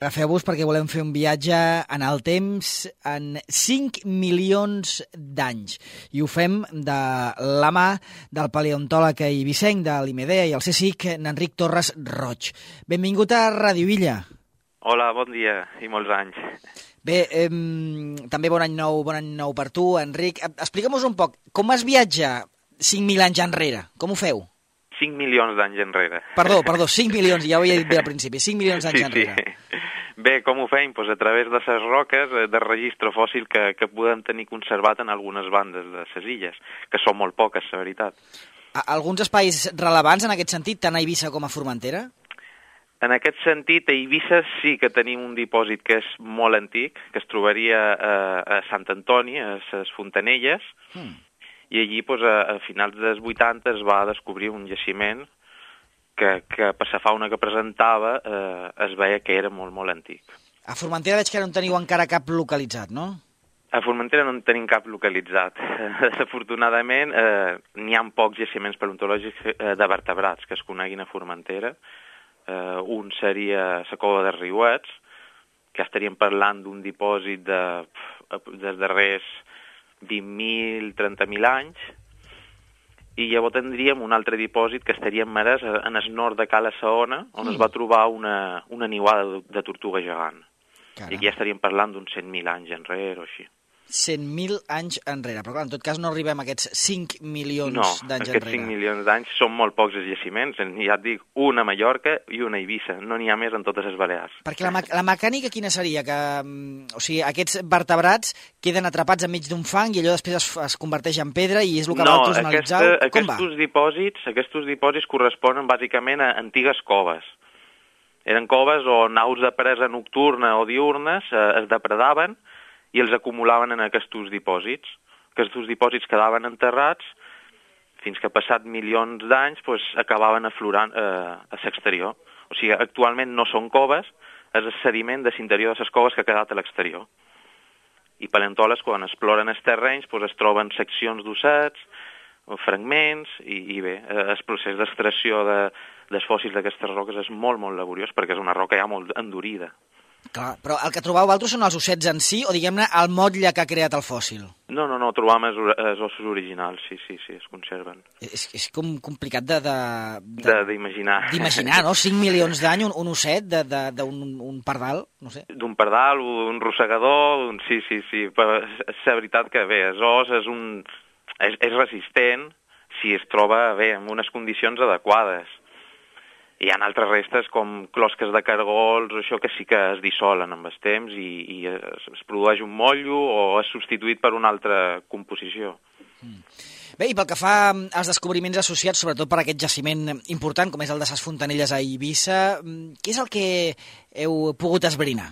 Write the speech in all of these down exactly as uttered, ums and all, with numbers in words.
Agafeu-vos perquè volem fer un viatge en el temps en cinc milions d'anys. I ho fem de la mà del paleontòleg eivissenc de l'IMEDEA i el CSIC, n'Enric Torres Roig. Benvingut a Ràdio Illa. Hola, bon dia i molts anys. Bé, eh, també bon any nou, bon any nou per tu, Enric. Explica'm-nos un poc, com es viatja cinc mil anys enrere? Com ho feu? cinc milions d'anys enrere. Perdó, perdó, cinc milions, ja ho havia dit bé al principi, cinc milions d'anys sí, enrere. Sí. Bé, com ho fem? Pues a través de les roques de registre fòssil que, que podem tenir conservat en algunes bandes de les illes, que són molt poques, la veritat. Alguns espais rellevants en aquest sentit, tant a Eivissa com a Formentera? En aquest sentit, a Eivissa sí que tenim un dipòsit que és molt antic, que es trobaria a, a Sant Antoni, a les Fontanelles, hmm. i allí pues, a, a finals dels vuitanta es va descobrir un jaciment que, que per la fauna que presentava eh, es veia que era molt, molt antic. A Formentera veig que no en teniu encara cap localitzat, no? A Formentera no en tenim cap localitzat. Desafortunadament, eh, n'hi ha pocs jaciments paleontològics eh, de vertebrats que es coneguin a Formentera. Eh, un seria la cova de Riuets, que estaríem parlant d'un dipòsit de, dels darrers vint mil, trenta mil anys, i llavors tindríem un altre dipòsit que estaria en Marès, en el nord de Cala Saona, on mm. es va trobar una, una niuada de, de tortuga gegant. Caram. I aquí ja estaríem parlant d'uns cent mil anys enrere o així. cent mil anys enrere, però clar, en tot cas no arribem a aquests cinc milions no, d'anys enrere. No, aquests cinc milions d'anys són molt pocs els jaciments, ja et dic, una a Mallorca i una a Eivissa, no n'hi ha més en totes les Balears. Perquè la, la mecànica quina seria? Que, o sigui, aquests vertebrats queden atrapats enmig d'un fang i allò després es, es converteix en pedra i és el que no, vosaltres analitzeu? No, Com va? aquests dipòsits, aquests dipòsits corresponen bàsicament a antigues coves. Eren coves on aus de presa nocturna o diurnes eh, es depredaven i els acumulaven en aquests dipòsits. Aquests dipòsits quedaven enterrats fins que passat milions d'anys pues, acabaven aflorant eh, a l'exterior. O sigui, actualment no són coves, és el sediment de l'interior de les coves que ha quedat a l'exterior. I paleontòlegs, quan exploren els terrenys, pues, es troben seccions d'ossets, fragments, i, i bé, el procés d'extracció de, dels fòssils d'aquestes roques és molt, molt laboriós, perquè és una roca ja molt endurida. Clar, però el que trobeu vosaltres són els ossets en si o, diguem-ne, el motlle que ha creat el fòssil? No, no, no, trobam els, els ossos originals, sí, sí, sí, es conserven. És, és com complicat de... D'imaginar. D'imaginar, no? cinc milions d'any, un, un osset d'un un pardal, no sé. D'un pardal, un rosegador, un... sí, sí, sí, però és la veritat que bé, el os és un... és, és resistent si es troba bé, en unes condicions adequades. Hi ha altres restes com closques de cargols, això que sí que es dissolen amb el temps i, i es, es produeix un motllo o és substituït per una altra composició. Mm. Bé, i pel que fa als descobriments associats, sobretot per aquest jaciment important, com és el de les Fontanelles a Eivissa, què és el que heu pogut esbrinar?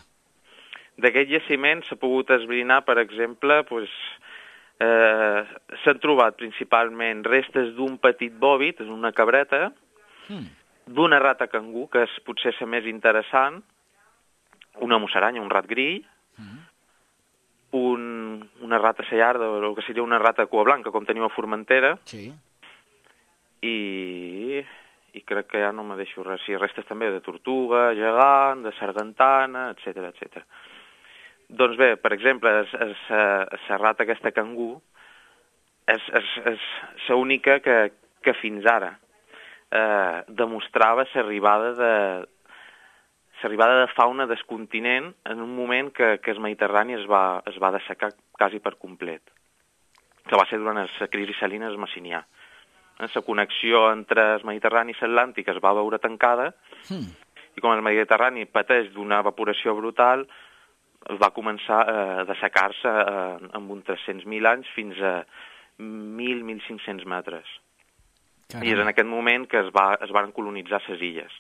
D'aquest jaciment s'ha pogut esbrinar, per exemple, pues, eh, s'han trobat principalment restes d'un petit bòvid, una cabreta, mm. d'una rata cangú, que és potser la més interessant, una musaranya, un rat grill, mm. un, una rata sellarda, o que seria una rata cua blanca, com teniu a Formentera, sí. i, i crec que ja no me deixo res. Sí, restes també de tortuga, gegant, de sargantana, etcètera, etcètera. Doncs bé, per exemple, la rata aquesta cangú és, és, és l'única que, que fins ara Eh, demostrava l'arribada de l'arribada de fauna del continent en un moment que, que el Mediterrani es va, es va dessecar quasi per complet, que va ser durant la crisi salina del Messinià. La connexió entre el Mediterrani i l'Atlàntic es va veure tancada mm. i com el Mediterrani pateix d'una evaporació brutal, va començar a dessecar-se eh, amb uns tres-cents mil anys fins a mil a mil cinc-cents metres. Caram. I és en aquest moment que es, va, es van colonitzar les illes.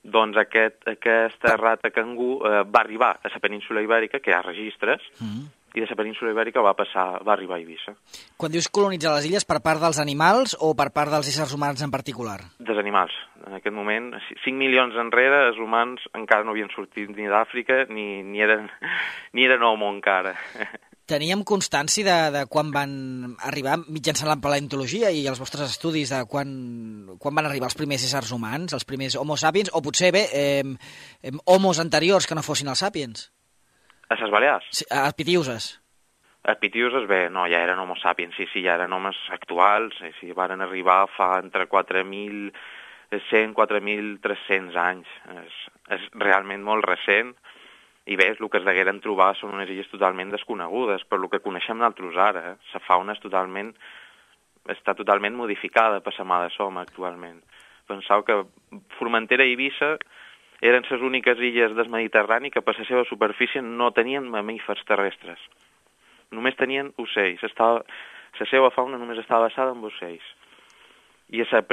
Doncs aquest, aquesta rata cangú eh, va arribar a la península Ibèrica, que hi ha registres, mm. i de la península Ibèrica va passar, va arribar a Eivissa. Quan dius colonitzar les illes, per part dels animals o per part dels éssers humans en particular? Dels animals. En aquest moment, cinc milions enrere, els humans encara no havien sortit ni d'Àfrica, ni, ni, eren, ni eren homo encara. Teníem constància de, de quan van arribar, mitjançant la paleontologia i els vostres estudis, de quan, quan van arribar els primers éssers humans, els primers homo sapiens, o potser bé, eh, eh, homos anteriors que no fossin els sapiens? A les Balears? Sí, a Pitiuses. A Pitiuses, bé, no, ja eren homo sapiens, sí, sí, ja eren homes actuals, sí, sí, van arribar fa entre quatre mil cent i quatre mil tres-cents anys. És, és realment molt recent. I bé, el que es degueren trobar són unes illes totalment desconegudes, per el que coneixem nosaltres ara. Eh? La fauna és totalment, està totalment modificada per la mà de som actualment. Penseu que Formentera i Eivissa eren les úniques illes del Mediterrani que per la seva superfície no tenien mamífers terrestres. Només tenien ocells. Estava, la seva fauna només estava basada en ocells. I a la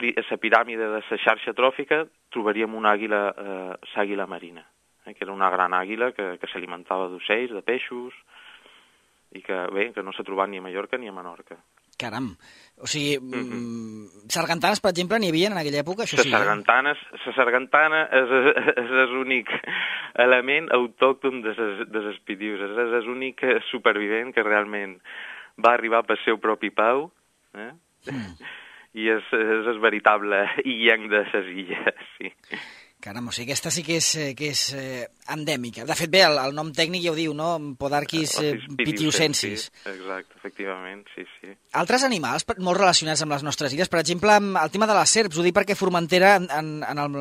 piràmide de la xarxa tròfica trobaríem una àguila, eh, l'àguila marina, que era una gran àguila que, que s'alimentava d'ocells, de peixos, i que, bé, que no s'ha trobat ni a Mallorca ni a Menorca. Caram. O sigui, mm-hmm. sargantanes, per exemple, n'hi havia en aquella època? Això les sí, sargantanes, eh? La sargantana és, és l'únic element autòcton de les Pitiuses, és l'únic supervivent que realment va arribar pel seu propi pau, eh? Mm. I és, és el veritable illenc de les illes, sí. Caram, o sigui, aquesta sí que és, que és eh, endèmica. De fet, bé, el, el nom tècnic ja ho diu, no? Podarquis eh, pitiusensis. Sí, exacte, efectivament, sí, sí. Altres animals molt relacionats amb les nostres illes, per exemple, el tema de les serps, ho dic perquè Formentera en, en, en el,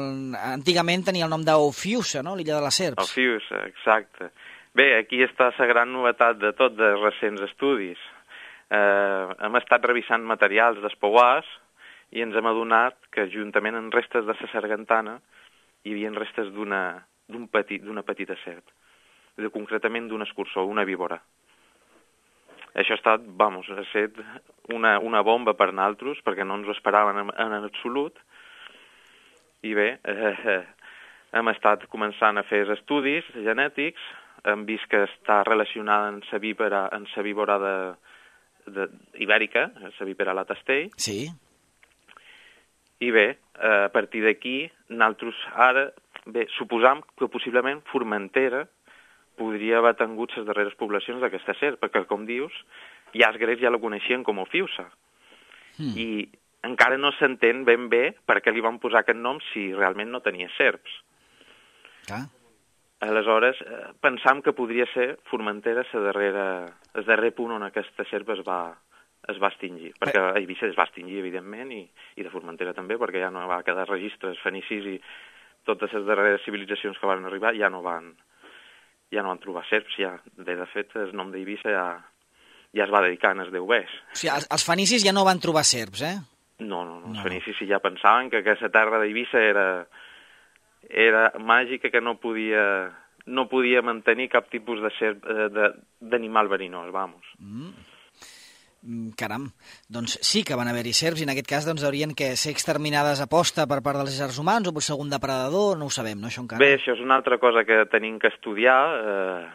antigament tenia el nom d'Ophiusa, no?, l'illa de les serps. Ophiusa, exacte. Bé, aquí està la gran novetat de tot de recents estudis. Eh, hem estat revisant materials d'espouars i ens hem adonat que juntament amb restes de la sargantana hi havia restes d'una d'un petit, d'una petita serp, de, concretament d'un escurçó, una víbora. Això ha estat, vamos, ha estat una, una bomba per nosaltres, perquè no ens ho esperaven en, en absolut, i bé, eh, hem estat començant a fer estudis genètics, hem vist que està relacionada amb la víbora, amb la víbora de, de, ibèrica, la víbora la Tastell. Sí. I bé, a partir d'aquí, nosaltres ara, bé, suposam que possiblement Formentera podria haver tingut les darreres poblacions d'aquesta serp, perquè, com dius, ja els grecs ja la coneixien com Ophiusa. Mm. I encara no s'entén ben bé per què li van posar aquest nom si realment no tenia serps. Ah. Aleshores, pensam que podria ser Formentera la darrera, el darrer punt on aquesta serp es va... es va extingir, perquè a Eivissa es va extingir, evidentment, i, i de Formentera també, perquè ja no va quedar registres fenicis i totes les darreres civilitzacions que van arribar ja no van, ja no van trobar serps, ja, de, de fet, el nom d'Eivissa ja, ja es va dedicar en els deubers. O sigui, els, els fenicis ja no van trobar serps, eh? No, no, no, els no. fenicis sí ja pensaven que aquesta terra d'Eivissa era, era màgica, que no podia, no podia mantenir cap tipus de serp, d'animal verinós, vamos. Mm. Caram, doncs sí que van haver-hi serps i en aquest cas doncs, haurien que ser exterminades a posta per part dels éssers humans o per segon depredador, no ho sabem, no, això encara? Bé, això és una altra cosa que tenim que estudiar, eh,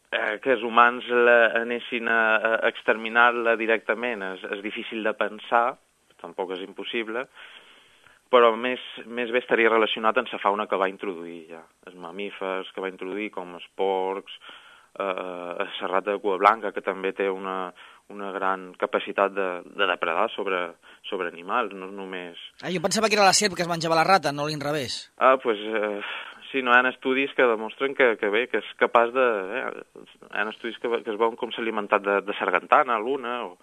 eh, que els humans la, anessin a, a exterminar-la directament és, és difícil de pensar, tampoc és impossible, però més, més bé estaria relacionat amb la fauna que va introduir ja, els mamífers que va introduir com els porcs, eh, la rata de cua blanca, que també té una... una gran capacitat de, de depredar sobre, sobre animals, no només... Ah, jo pensava que era la serp que es menjava la rata, no l'inrevés. Ah, doncs, pues, eh, sí, no, hi ha estudis que demostren que, que bé, que és capaç de... Eh, hi ha estudis que, que es veuen com s'ha alimentat de, de sargantana, l'una, o...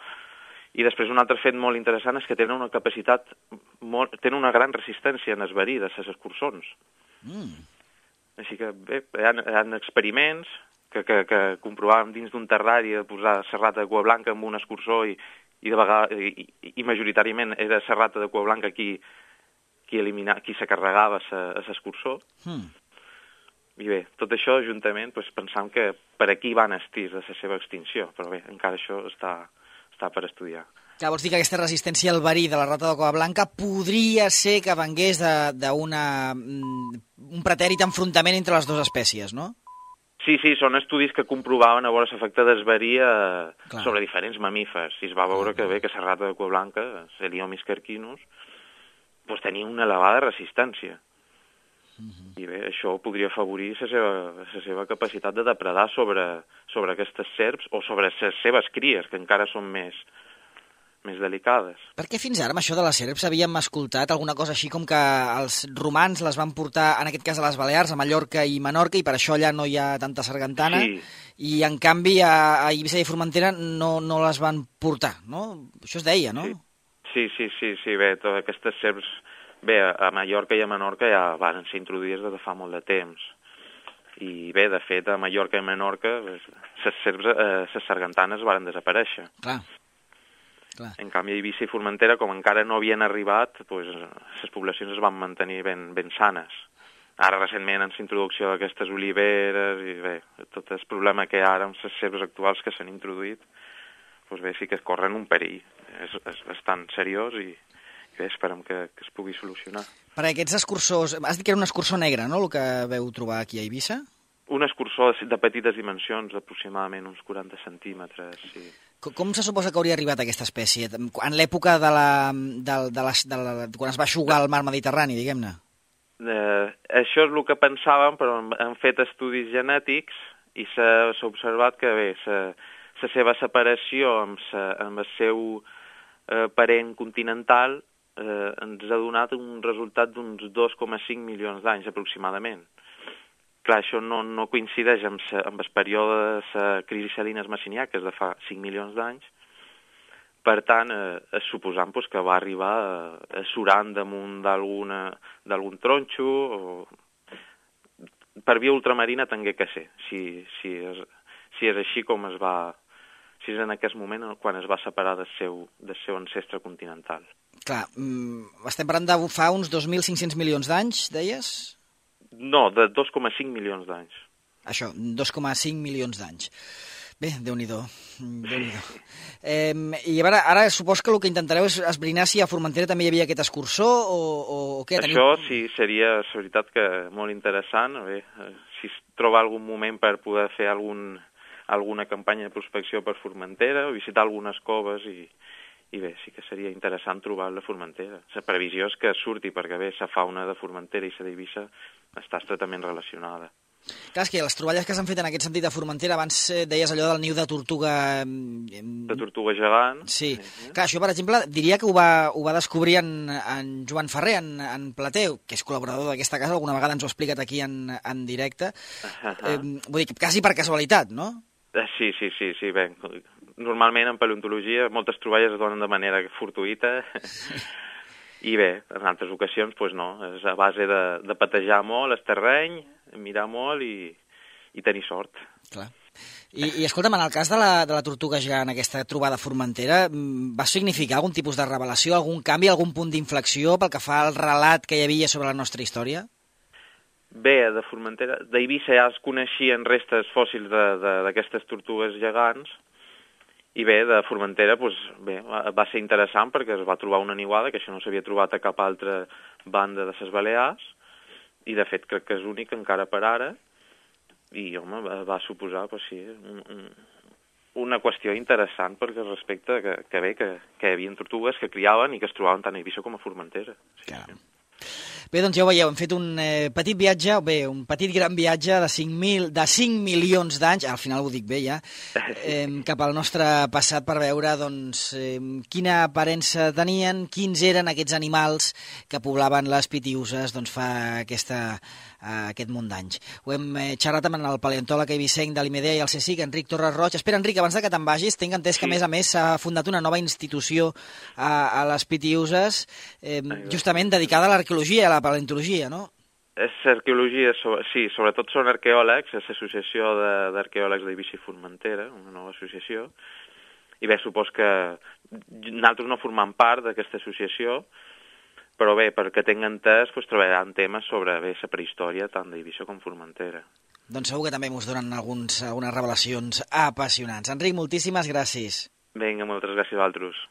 I després un altre fet molt interessant és que tenen una capacitat, molt, tenen una gran resistència en esverí de les escurçons. Mm. Així que, bé, hi ha, hi ha experiments... que, que, que comprovàvem dins d'un terrari de posar la rata de cua blanca amb un escurçó i, i, de vegades, i, i, i majoritàriament era la rata de cua blanca qui, qui, elimina, qui se carregava l'escurçó. Hmm. I bé, tot això juntament doncs, pensam que per aquí van estirs de la seva extinció, però bé, encara això està, està per estudiar. Clar, vols dir que aquesta resistència al verí de la rata de cua blanca podria ser que vengués d'un pretèrit enfrontament entre les dues espècies, no? Sí, sí, són estudis que comprovaven a veure l'efecte d'esverí eh, sobre diferents mamífers. I es va veure que bé, que la rata de cua blanca, Celiomis carcinus, doncs tenia una elevada resistència. Uh-huh. I bé, això podria afavorir la seva, la seva capacitat de depredar sobre, sobre aquestes serps o sobre les seves cries, que encara són més, més delicades. Perquè fins ara, amb això de les serps, havíem escoltat alguna cosa així com que els romans les van portar, en aquest cas a les Balears, a Mallorca i Menorca, i per això allà no hi ha tanta sargantana, sí. I en canvi a, a Eivissa i Formentera no, no les van portar, no? Això es deia, no? Sí, sí, sí, sí, bé, totes aquestes serps, bé, a Mallorca i a Menorca ja van ser introduïdes des de fa molt de temps. I bé, de fet, a Mallorca i Menorca les serps, eh, les sargantanes van desaparèixer. Clar. Clar. En canvi, a Eivissa i Formentera, com encara no havien arribat, pues, les poblacions es van mantenir ben, ben sanes. Ara, recentment, amb la introducció d'aquestes oliveres i bé, tot el problema que hi ha ara amb les serps actuals que s'han introduït, pues bé, sí que es corren un perill. És, és bastant seriós i, i bé, esperem que, que es pugui solucionar. Per aquests escursors, has dit que era un escursor negre, no?, el que veu trobar aquí a Eivissa? Un escursor de petites dimensions, d'aproximadament uns quaranta centímetres, sí. Com se suposa que hauria arribat aquesta espècie? En l'època de la, de, de la, de la, quan es va eixugar el mar Mediterrani, diguem-ne? Eh, això és el que pensàvem, però han fet estudis genètics i s'ha observat que bé, la seva separació amb, sa, amb el seu eh, parent continental eh, ens ha donat un resultat d'uns dos coma cinc milions d'anys aproximadament. Clar, això no, no coincideix amb, sa, amb el període de la crisi salines messinià, que és de fa cinc milions d'anys. Per tant, eh, suposant pues, que va arribar eh, surant damunt d'algun tronxo, o per via ultramarina tingué que ser, si, si, és, si és així com es va, si és en aquest moment quan es va separar del seu, del seu ancestre continental. Clar, estem parlant de fa uns dos mil cinc-cents milions d'anys, deies? No, de dos coma cinc milions d'anys. Això, dos coma cinc milions d'anys. Bé, Déu-n'hi-do. Déu-n'hi-do. Eh, I a veure, ara supos que el que intentareu és esbrinar si a Formentera també hi havia aquest escursor o, o, o què? Això tenim... sí, seria, la veritat, que molt interessant. Bé, si es troba algun moment per poder fer algun, alguna campanya de prospecció per Formentera o visitar algunes coves i, i bé, sí que seria interessant trobar la Formentera. La previsió és que surti, perquè bé, la fauna de Formentera i la d'Eivissa està estretament relacionada. Clar, és que les troballes que s'han fet en aquest sentit a Formentera, abans deies allò del niu de tortuga... De tortuga gegant. Sí. sí. Clar, això, per exemple, diria que ho va, ho va descobrir en, en Joan Ferrer, en, en Plateu, que és col·laborador d'aquesta casa, alguna vegada ens ho ha explicat aquí en, en directe. Uh-huh. eh, vull dir, quasi per casualitat, no? Sí, sí, sí, sí, bé. Normalment en paleontologia moltes troballes es donen de manera fortuïta. I bé, en altres ocasions, doncs no, és a base de, de patejar molt el terreny, mirar molt i, i tenir sort. Clar. I, i escolta'm, en el cas de la, de la tortuga gegant, aquesta trobada a Formentera, va significar algun tipus de revelació, algun canvi, algun punt d'inflexió pel que fa al relat que hi havia sobre la nostra història? Bé, de Formentera, d'Eivissa ja es coneixien restes fòssils d'aquestes tortugues gegants, i bé, de Formentera doncs, bé, va ser interessant perquè es va trobar una niuada, que això no s'havia trobat a cap altra banda de les Balears, i de fet crec que és únic encara per ara, i home, va, va suposar pues, sí, un, un, una qüestió interessant perquè respecte que, que bé, que, que hi havia tortugues que criaven i que es trobaven tant a Eivissa com a Formentera. Sí, sí. Bé, doncs ja ho veieu, hem fet un eh, petit viatge, bé, un petit gran viatge de cinc mil, de cinc milions d'anys, al final ho dic bé ja, eh, cap al nostre passat per veure doncs, eh, quina aparença tenien, quins eren aquests animals que poblaven les Pitiüses doncs, fa aquesta, eh, aquest munt d'anys. Ho hem eh, xerrat amb el paleontòleg eivissenc de l'I M D i el CSIC, Enric Torres Roig. Espera, Enric, abans de que te'n vagis, tinc entès que, a més a més, s'ha fundat una nova institució a, a les Pitiüses, eh, justament dedicada a l'arqueologia i a la paleontologia, no? És arqueologia, sí, sobretot són arqueòlegs, és l'associació d'arqueòlegs d'Eivissa i Formentera, una nova associació, i bé, supos que nosaltres no formem part d'aquesta associació, però bé, perquè tinc entès, doncs, treballaran temes sobre bé, la prehistòria tant d'Eivissa com Formentera. Doncs segur que també ens donen alguns, algunes revelacions apassionants. Enric, moltíssimes gràcies. Vinga, moltes gràcies a vosaltres.